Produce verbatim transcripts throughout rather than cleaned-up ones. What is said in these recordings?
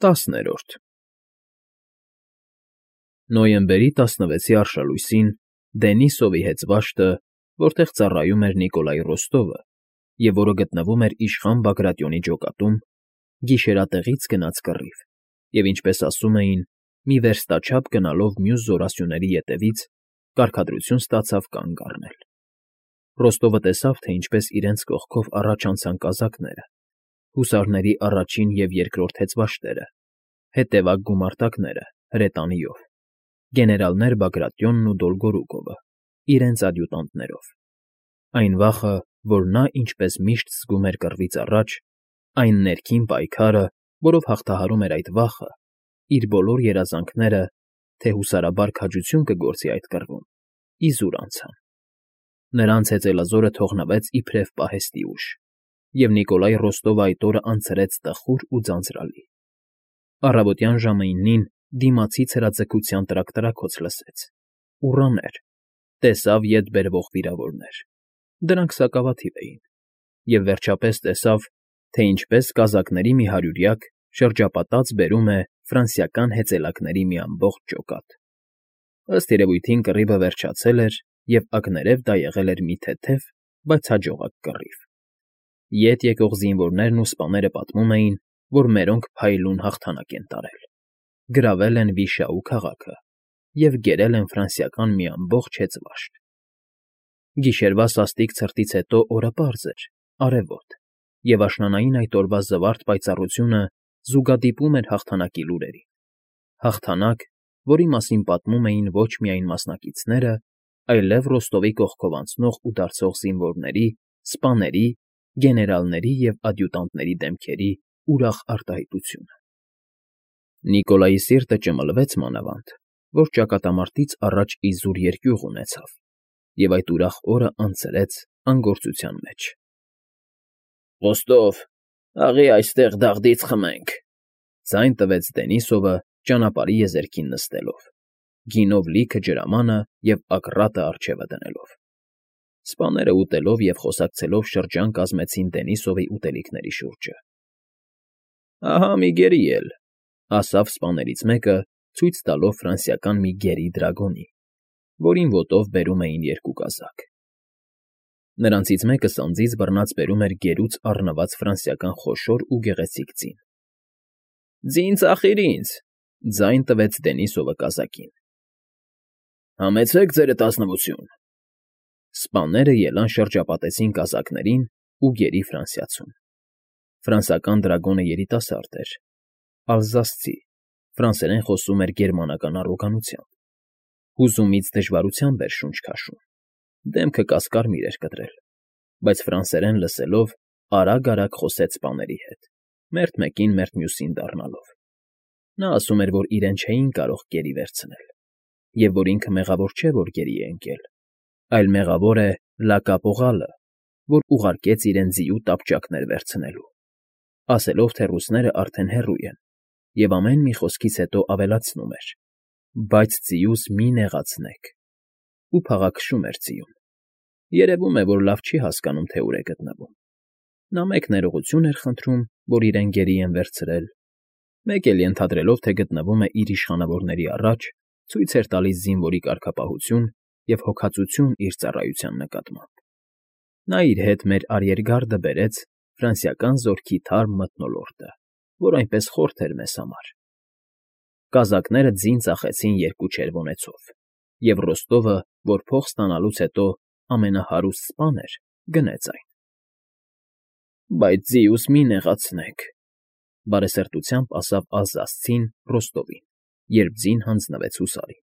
ՏԱՍՆԵՐՈՐԴ Նոյեմբերի տասնվեցի արշալույսին Դենիսովի հեծվաշտը, որտեղ ծառայում էր Նիկոլայ Ռոստովը և որը գտնվում էր իշխան Բագրատյոնի ջոկատում, գիշերատեղից գնաց կռիվ և, ինչպես ասում էին, մի վերստաչափ գնալով մյուս զորասյուների ետևից, կարգադրություն ստացավ կանգ առնել. Ռոստովը տեսավ, թե ինչպես իրենց կողքով առաջ անցան կազակները, հուսարների առաջին և երկրորդ հեծվաշտերը, հետևակ գումարտակները հրետանիով, գեներալներ Բագրատյոնն ու Դոլգորուկովը, իրենց ադյուտանտներով, այն վախը, որ նա, ինչպես միշտ զգում էր կռվից առաջ, այն ներքին պայքարը, որով հաղթահարում էր այդ վախը, իր բոլոր երազանքները, թե հուսարաբար քաջություն կգործի այդ կռվում, իզուր անցան. նրանց հեծելազորը թողնվեց իբրև պահեստի ուժ, և Նիկոլայ Ռոստովը այդ օրը անցրեց տխուր ու ձանձրալի. առավոտյան ժամը իննին դիմացից հրաձգության տրակ֊տրաքոց լսեց, ուռաներ, տեսավ ետ բերվող վիրավորներ. դրանք սակավաթիվ էին, և վերջապես տեսավ, թե ինչպես կազակների մի հարյուրյակ շրջապատած բերում է ֆրանսիական հեծելակների մի ամբողջ ջոկատ. ըստ երևույթին կռիվը վերջացել էր, և ակներև դա եղել էր մի թեթև, բայց հաջողակ կռիվ. ետ եկող զինվորներն ու սպաները պատմում էին, որ մերոնք փայլուն հաղթանակ են տարել, գրավել են Վիշաու քաղաքը և գերել են ֆրանսիական մի ամբողջ հեծվաշտ. Գիշերվա սաստիկ ցրտից հետո օրը պարզ էր, արևոտ, և աշնանային այդ օրվա զվարթ պայծառությունը զուգադիպում էր հաղթանակի լուրերին, հաղթանակ, որի մասին պատմում էին ոչ միայն մասնակիցները, այլև Ռոստովի կողքով անցնող ու դարձող զինվորների, սպաների, գեներալների և ադյուտանտների դեմքերի ուրախ արտահայտությունը։ Նիկոլայի սիրտը ճմլվեց մանավանդ, որ ճակատամարտից առաջ իզուր երկյուղ ունեցավ, և այդ ուրախ օրը անցրեց անգործության մեջ։ ֊ Ռոստով, աղի այստեղ դաղդից խմենք,֊ ձայն տվեց Դենիսովը ճանապարհի եզերքին նստելով, գինով լիքը ջրամանը և ակռատը առջևը դնելով։ Սպաները ուտելով և խոսակցելով շրջան կազմեցին Դենիսովի ուտելիքների շուրջը։ ֊ Ահա մի գերի էլ,֊ ասավ սպաներից մեկը, ցույց տալով ֆրանսիական մի գերի դրագոնի, որին ոտով բերում էին երկու կազակ։ Նրանցից մեկը սանձին բռնած բերում էր գերուց առնված ֆրանսիական խոշոր ու գեղեցիկ ձին։ ֊ Ձին ծախիր ինձ,֊ ձայն տվեց Դենիսովը կազակին։ ֊ Համեցեք, ձերդ ազնվություն։ Սպաները ելան շրջապատեցին կազակներին ու գերի ֆրանսիացուն։ Ֆրանսիական դրագոնը երիտասարդ էր, ալզասցի, ֆրանսերեն խոսում էր գերմանական առոգանությամբ, հուզումից դժվարությամբ էր շունչ քաշում, դեմքը կասկարմիր էր կտրել, բայց ֆրանսերեն լսելով արագ֊արագ խոսեց սպաների հետ, մերթ մեկին մերթ մյուսին դառնալով։ Նա ասում էր, որ իրեն չէին կարող գերի վերցնել, և որ ինքը մեղավոր չէ, որ գերի է ընկել, այլ մեղավոր է Լակապողալը, որ ուղարկեց իրեն ձիու տապճակներ վերցնելու, ասելով, թե ռուսներն արդեն հեռու են, և ամեն մի խոսքից հետո ավելացնում էր. բայց ձիուս մի նեղացնեք, ու փաղաքշում էր ձիուն։ Երևում է, որ լավ չի հասկանում, թե ուր է գտնվում։ Նա մեկ ներողություն էր խնդրում, որ իրեն գերի են վերցրել, մեկ էլ ենթադրելով, թե գտնվում է իր իշխանավորների առաջ, ցույց էր տալիս զինվորի կարգապահություն և հոգածություն իր ծառայության նկատմամբ։ Նա իր հետ մեր արիերգարդը բերեց ֆրանսիական զորքի թարմ մթնոլորտը, որ այնպես խորթ էր մեզ համար։ Կազակները ձին ծախեցին երկու չերվոնեցով, և Ռոստովը, որ փող ստանալուց հետո ամենահարուստ սպան էր, գնեց այն։ ֊ Բայց ձիուս մի նեղացնեք,֊ բարեսրտությամբ ասավ ալզասցին Ռոստովին, երբ ձին հանձնվեց հուսարին։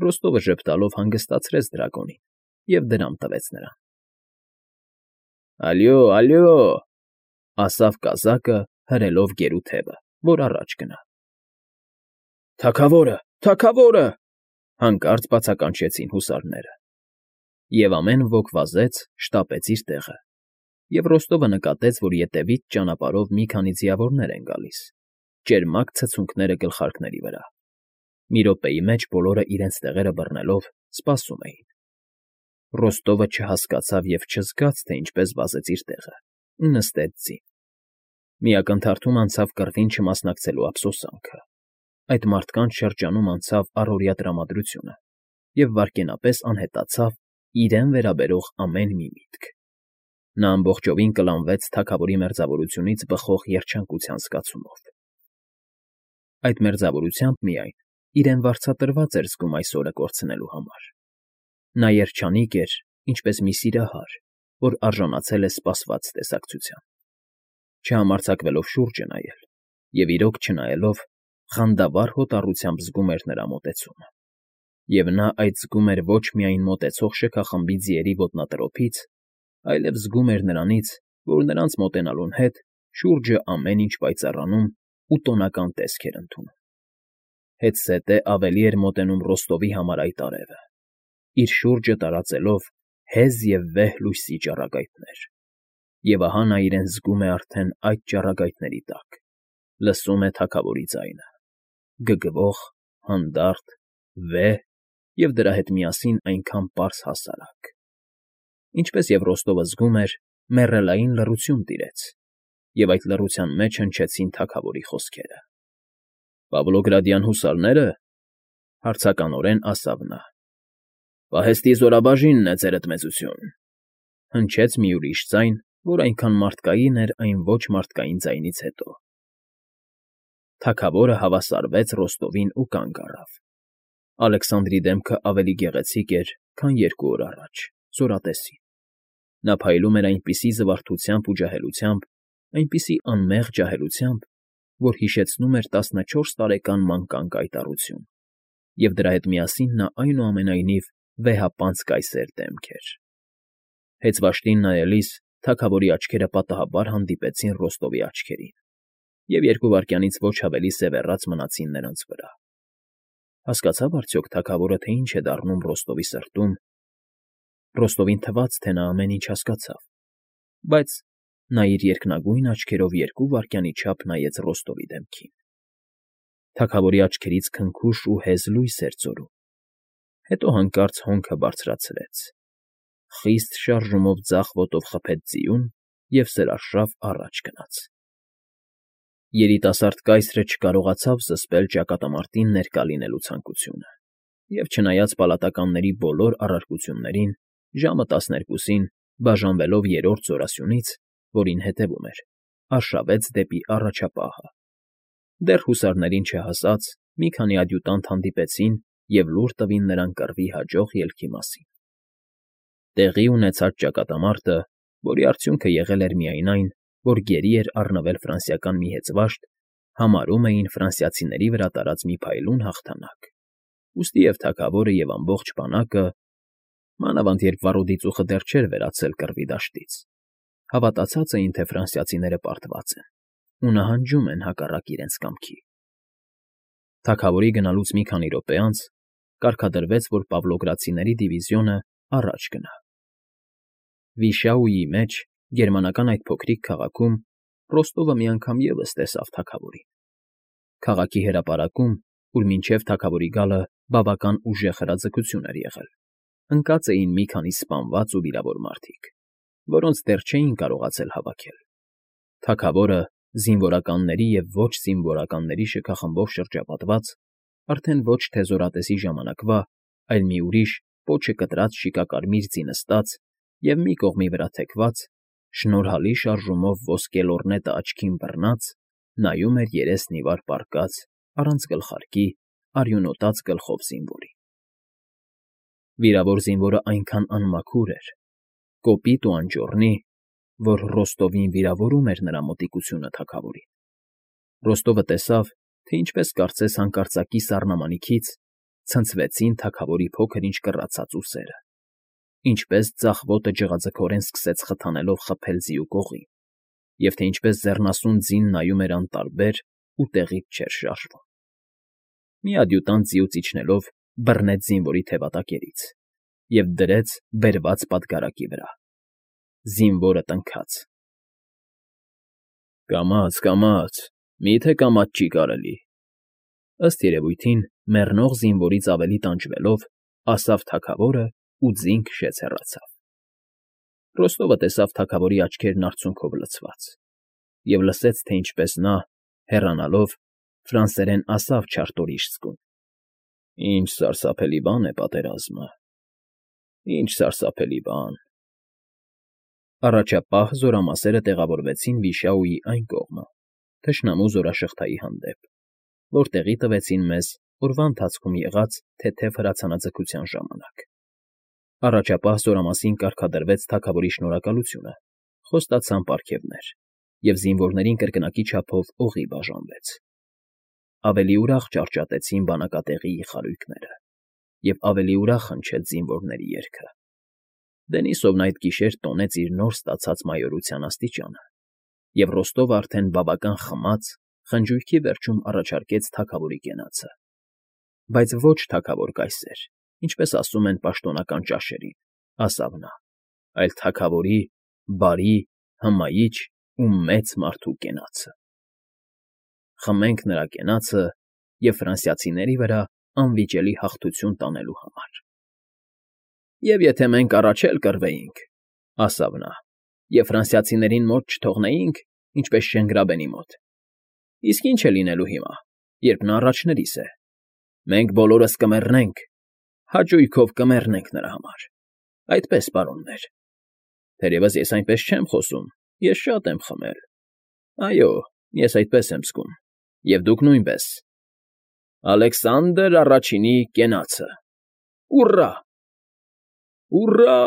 Ռոստովը ժպտալով հանգստացրեց դրագոնին և դրամ տվեց նրան։ ֊ Ալյո, ալյո,֊ ասավ կազակը, հրելով գերու թևը, որ առաջ գնա։ ֊ Թագավորը, թագավորը,֊ հանկարծ բացականչեցին հուսարները։ Եվ ամեն ոք վազեց, շտապեց իր տեղը, և Ռոստովը նկատեց, որ ետևից ճանապարհով մի քանի ձիավորներ են գալիս, ճերմակ ցցունքները գլխարկների վրա։ Մի րոպեի մեջ բոլորը իրենց տեղերը բռնելով սպասում էին։ Ռոստովը չհասկացավ և չզգաց, թե ինչպես վազեց իր տեղը ու նստեց ձին։ Մի ակնթարթում անցավ կռվին չմասնակցելու ափսոսանքը, այդ մարդկանց շրջանում անցավ առօրյա տրամադրությունը և վայրկենապես անհետացավ իրեն վերաբերող ամեն մի միտք։ Նա ամբողջովին կլանվեց թագավորի մերձավորությունից բխող երջանկության զգացումով։ Այդ մերձավորությամբ միայն իրեն վարձատրված էր զգում այս օրը կորցնելու համար։ Նա երջանիկ էր, ինչպես մի սիրահար, որ արժանացել է սպասված տեսակցության։ Չհամարձակվելով շուրջը նայել և, իրոք, չնայելով, խանդավառ հոտառությամբ զգում էր նրա մոտեցումը։ Եվ նա այդ զգում էր ոչ միայն մոտեցող շքախմբի ձիերի ոտնատրոփից, այլև զգում էր նրանից, որ նրանց մոտենալուն հետ շուրջը ամեն ինչ պայծառանում ու տոնական տեսք էր ընդունում։ Հետզհետե ավելի էր մոտենում Ռոստովի համար այդ արևը, իր շուրջը տարածելով հեզ և վեհ լույսի ճառագայթներ։ Եվ ահա նա իրեն զգում է արդեն այդ ճառագայթների տակ, լսում է թագավորի ձայնը՝ գգվող, հանդարտ, վեհ և դրա հետ միասին այնքան պարզ֊հասարակ։ Ինչպես և Ռոստովը զգում էր, մեռելային լռություն տիրեց, և այդ լռության մեջ հնչեցին թագավորի խոսքերը։ ֊ Պավլոգրադյան հուսարնե՞րը,֊ հարցականորեն ասավ նա։ ֊ Պահեստի զորաբաժինն է, ձերդ մեծություն,֊ հնչեց մի ուրիշ ձայն, որ այնքան մարդկային էր այն ոչ մարդկային ձայնից հետո։ Թագավորը հավասարվեց Ռոստովին ու կանգ առավ։ Ալեքսանդրի դեմքը ավելի գեղեցիկ էր, քան երկու օր առաջ, զորատեսին։ Նա փայլում էր այնպիսի զվարթությամբ ու ջահելությամբ, այնպիսի անմեղ ջահելությամբ, որ հիշեցնում էր տասնչորս տարեկան մանկան կայտառություն, և դրա հետ միասին նա այնուամենայնիվ վեհապանծ կայսեր դեմք էր։ Հեծվաշտին նայելիս թագավորի աչքերը պատահաբար հանդիպեցին Ռոստովի աչքերին, և երկու վայրկյանից ոչ ավելի սևեռած մնացին նրանց վրա։ Հասկացա՞վ արդյոք թագավորը, թե ինչ է դառնում Ռոստովի սրտում։ Ռոստովին թվաց, թե նա ամեն ինչ հասկացավ, բայց նա իր երկնագույն աչքերով երկու վայրկյանի չափ նայեց Ռոստովի դեմքին։ Թագավորի աչքերից քնքուշ ու հեզ լույս էր ձորում, հետո հանկարծ հոնքը բարձրացրեց, խիստ շարժումով ձախ ոտով խփեց ձիուն և սրարշավ առաջ գնաց։ Երիտասարդ կայսրը չկարողացավ զսպել ճակատամարտին ներկա լինելու ցանկությունը և, չնայած պալատականների բոլոր առարկություններին, ժամը տասներկուսին, բաժանվելով երրորդ զորասյունից, որին հետևում էր, արշավեց դեպի առաջապահը։ Դեռ հուսարներին չհասած, մի քանի ադյուտանտ հանդիպեցին և լուր տվին նրան կռվի հաջող ելքի մասին։ Տեղի ունեցած ճակատամարտը, որի արդյունքը եղել էր միայն այն, որ գերի էր առնվել ֆրանսիական մի հեծվաշտ, համարում էին ֆրանսիացիների վրա տարած մի փայլուն հաղթանակ, ուստի և թագավորը, և ամբողջ բանակը, մանավանդ երբ վառոդի ծուխը դեռ չէր վերացել կռվի դաշտից, հավատացած էին, թե ֆրանսիացիները պարտված են ու նահանջում են հակառակ իրենց կամքի։ Թագավորի գնալուց մի քանի րոպե անց կարգադրվեց, որ պավլոգրադցիների դիվիզիոնը առաջ գնա։ Վիշաուի մեջ, գերմանական այդ փոքրիկ քաղաքում, Ռոստովը մի անգամ ևս տեսավ թագավորին։ Քաղաքի հրապարակում, ուր մինչև թագավորի գալը բավական ուժեղ հրաձգություն էր եղել, ընկած էին մի քանի սպանված ու վիրավոր մարդիկ, որոնց դեռ չէին կարողացել հավաքել։ Թագավորը, զինվորականների և ոչ զինվորականների շքախմբով շրջապատված, արդեն ոչ թե զորատեսի ժամանակվա, այլ մի ուրիշ, պոչը կտրած շիկակարմիր ձի նստած և մի կողմի վրա թեքված, շնորհալի շարժումով ոսկե լոռնետը աչքին բռնած, նայում էր երեսն ի վար պառկած, առանց գլխարկի, արյունոտած գլխով զինվորին։ Վիրավոր զինվորը այնքան անմաքուր էր, կոպիտ ու անճոռնի, որ Ռոստովին վիրավորում էր նրա մոտիկությունը թագավորին։ Ռոստովը տեսավ, թե ինչպես կարծես հանկարծակի սառնամանիքից ցնցվեցին թագավորի փոքր-ինչ կռացած ուսերը, ինչպես ձախ ոտը ջղաձգորեն սկսեց խթանելով խփել ձիու կողին, և թե ինչպես ձեռնասուն ձին նայում էր անտարբեր ու տեղից չէր շարժվում։ Մի ադյուտանտ ձիուց իջնելով բռնեց զինվորի թևատակերից և դրեց բերված պատգարակի վրա։ Զինվորը տնքաց։ «Կամաց, կամաց, մի՞թե կամաց չի կարելի,֊ ըստ երևույթին մեռնող զինվորից ավելի տանջվելով, ասավ թագավորը ու ձին քշեց հեռացավ։ Ռոստովը տեսավ թագավորի աչքերն արցունքով լցված, և լսեց, թե ինչպես նա, հեռանալով, ֆրանսերեն ասավ չարտորիշցկուն. «Ինչ սարսափելի բան է պատերազմը, ինչ սարսափելի բան»։ Առաջապահ զորամասերը տեղավորվեցին Վիշաուի այն կողմը, թշնամու զորաշղթայի հանդեպ, որտեղի տվեցին մեզ օրվա ընթացքում եղած թեթև հրացանաձգության ժամանակ։ Առաջապահ զորամասին կարգադրվեց թագավորի շնորհակալությունը, խոստացան պարգևներ, և զինվորներին կրկնակի չափով օղի բաժանվեց։ Ավելի ուրախ ճառճատեցին բանակատեղիի խարույկները, և ավելի ուրախ հնչեց զինվորների երգը։ Դենիսովն այդ գիշեր տոնեց իր նոր ստացած մայորության աստիճանը, և Ռոստովը արդեն բավական խմած խնջույքի վերջում առաջարկեց թագավորի կենացը։ Բայց ոչ թագավոր կայսեր, ինչպես ասում են պաշտոնական ճաշերին, ասավ նա, այլ թագավորի բարի, հմայիչ ու մեծ մարդու կենացը։ Խմենք նրա կենացը և ֆրանսիացիների վրա անվիճելի հաղթություն տանելու համար։ Եվ եթե մենք առաջ էլ կռվեինք, ասավ նա, և ֆրանսիացիներին մոտ չթողնեինք, ինչպես Շենգրաբենի մոտ, իսկ ինչ է լինելու հիմա, երբ նա առաջներիս է, մենք բոլորս կմեռնենք, հաճույքով կմեռնենք նրա համար, այդպես, պարոններ։ Թերևս ես այնպես չեմ խոսում, ես շատ եմ խմել, այո, ես այդպես եմ զգում, և դուք նույնպես։ Ալեքսանդր առաջինի կենացը։ Ուռա… Ուռա…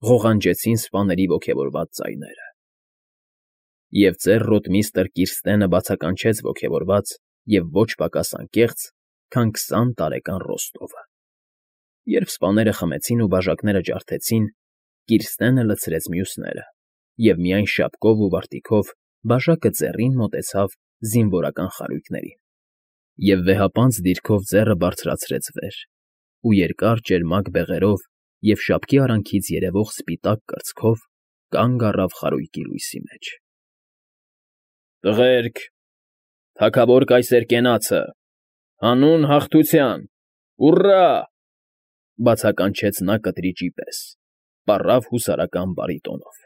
Ղողանջեցին սպաների ոգևորված ձայները։ Եվ ծեր ռոտմիստր Կիրստենը բացականչեց ոգևորված և ոչ պակաս անկեղծ, քան քսան տարեկան Ռոստովը։ Երբ սպաները խմեցին ու բաժակները ջարդեցին, Կիրստենը լցրեց մյուսները և միայն շապկով ու վարտիքով բաժակը ձեռին մոտեցավ զինվորական խարույկներին, և վեհապանծ դիրքով ձեռը բարձրացրեց վեր, ու երկար ճերմակ բեղերով և շապկի արանքից երևող սպիտակ կրծքով կանգ առավ խարույկի լույսի մեջ։ Տղերք, թագավոր կայսեր կենացը, հանուն հաղթության, ուռա… Բացականչեց նա կտրիճի պես, պառավ հուսարական բարիտոնով։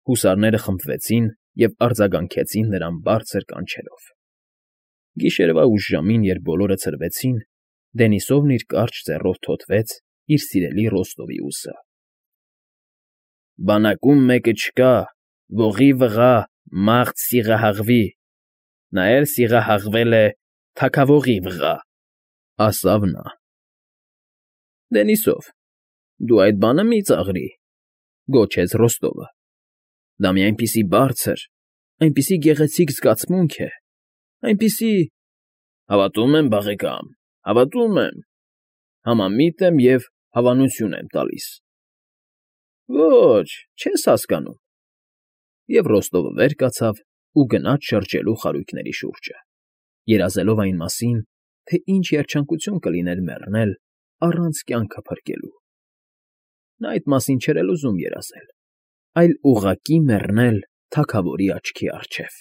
Հուսարները խմբվեցին և արձագանքեցին նրան բարձր կանչերով։ Գիշերվա ուշ ժամին, երբ բոլորը ցրվեցին, Դենիսովն իր կարճ ձեռով թոթվեց իր սիրելի Ռոստովի ուսը։ Բանակում մեկը չկա, ողի վղա մարդ սիրահաղվի, նա էլ սիրահաղվել է թագավորի վղա, ասավ նա։ Դենիսով, դու այդ բանը մի ծաղրի, գոչեց Ռոստովը։ Դա մի այնպիսի բարձր, այնպիսի գեղեցիկ զգացմունք է, այնպիսի… Հավատում եմ, բաղեկամ, հավատում եմ, համամիտ եմ և հավանություն եմ տալիս։ Ոչ, չես հասկանում։ Եվ Ռոստովը վեր կացավ ու գնաց շրջելու խարույկների շուրջը, երազելով այն մասին, թե ինչ երջանկություն կլիներ մեռնել առանց կյանքը փրկելու։ Նա այդ մասին չէր էլ ուզում երազել, այլ ուղղակի մեռնել թագավորի աչքի առջև։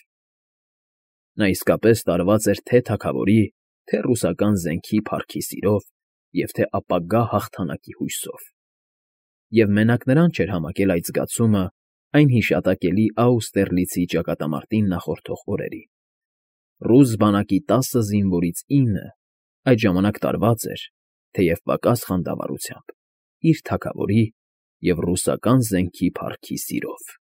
Նա իսկապես տարված էր թե թագավորի, թե ռուսական զենքի փառքի սիրով և թե ապագա հաղթանակի հույսով։ Եվ մենակ նրան չէր համակել այդ զգացումը այն հիշատակելի Աուստերլիցի ճակատամարտին նախորդող օրերին։ Ռուս բանակի տասը զինվորից ինը այդ ժամանակ տարված էր, թեև պակաս խանդավառությամբ, իր թագավորի և ռուսական զենքի փառքի սիրով։